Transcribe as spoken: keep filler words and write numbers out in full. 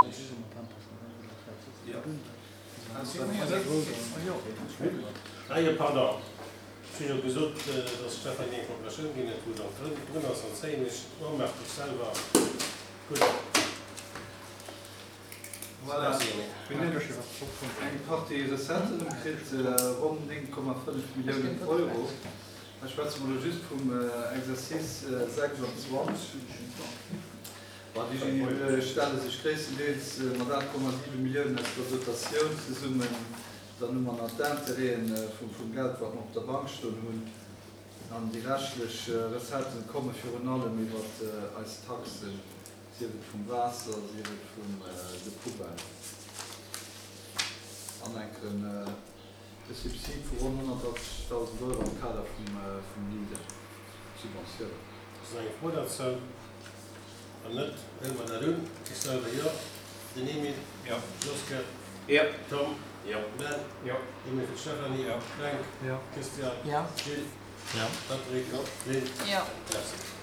Ah jo, pardon, ech hunn jo gesot, dass d'Stéphanie eng Procuratioun ginn huet, wou et och drun ass, an zéien ech d'Remarque mech selwer. Gutt. Voilà, mir hunn eng Partie Recetten erëmkritt, ronn néng Komma fënnef Milliounen Euro. Hei schwätze mer elo just vum Exercice sechsanzwanzeg. Bon, déi stelle sech gréisstendeels mat aacht Komma siwe Milliounen aus der Dotatioun zesummen. Dann hu mer nach d'Intérêten vum Geld, wat mer op der Bank stoen hunn. An déi reschtlech Recetten komme virun allem iwwer eis Taxen, sief et vum Waasser, sief et vun de Poubellen. An enken e Subsid vu ronn honnertachtzegdausend Euro am Kader vum Leader, Subventioun. Ass nach eng Fro dozou? Wann net, huele mer dat un. Ech selwer jo. Den Emile? Jo. Joske? Jo. Tom? Jo. Ben? Jo. Emile fir d'Stéphanie? Jo. Fränk? Jo. Christian? Jo. Gilles? Jo. Patrick? Jo. Lynn? Jo. Merci.